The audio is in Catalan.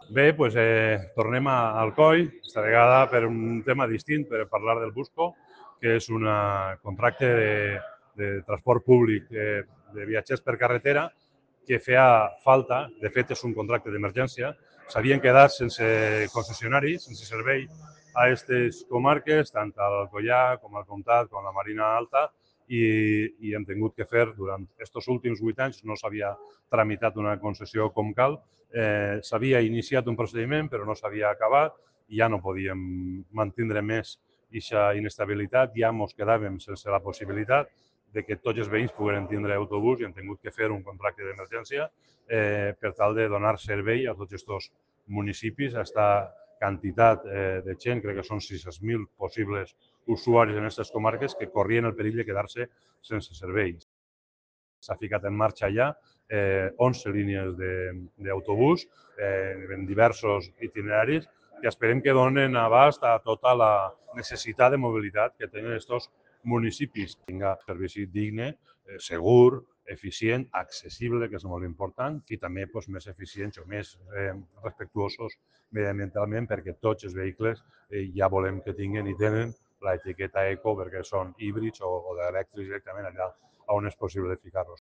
Bé, doncs, tornem a Alcoi, aquesta vegada per un tema distint, per parlar del Busco, que és un contracte de transport públic de viatgers per carretera que feia falta. De fet, és un contracte d'emergència. S'havien quedat sense concessionari, sense servei a aquestes comarques, tant al Alcoià com al Comtat com a la Marina Alta, i hem tingut que fer, durant aquests últims 8 anys, no s'havia tramitat una concessió com cal, s'havia iniciat un procediment però no s'havia acabat i ja no podíem mantindre més aquesta inestabilitat, ja ens quedàvem sense la possibilitat de que tots els veïns pogueren tindre autobús i hem tingut que fer un contracte d'emergència per tal de donar servei a tots aquests municipis, a aquesta quantitat de gent, crec que són 600.000 possibles usuaris en aquestes comarques que corrien el perill de quedar-se sense serveis. S'ha ficat en marxa ja 11 línies d'autobús en diversos itineraris que esperem que donen abast a tota la necessitat de mobilitat que tenen aquests municipis. Que tinga servici digne, segur, eficient, accessible, que és molt important, i també més eficients o més respectuosos mediambientalment, perquè tots els vehicles ja volem que tinguin i tenen l'etiqueta eco perquè són híbrids o d'elèctrics directament allà on és possible ficar-los.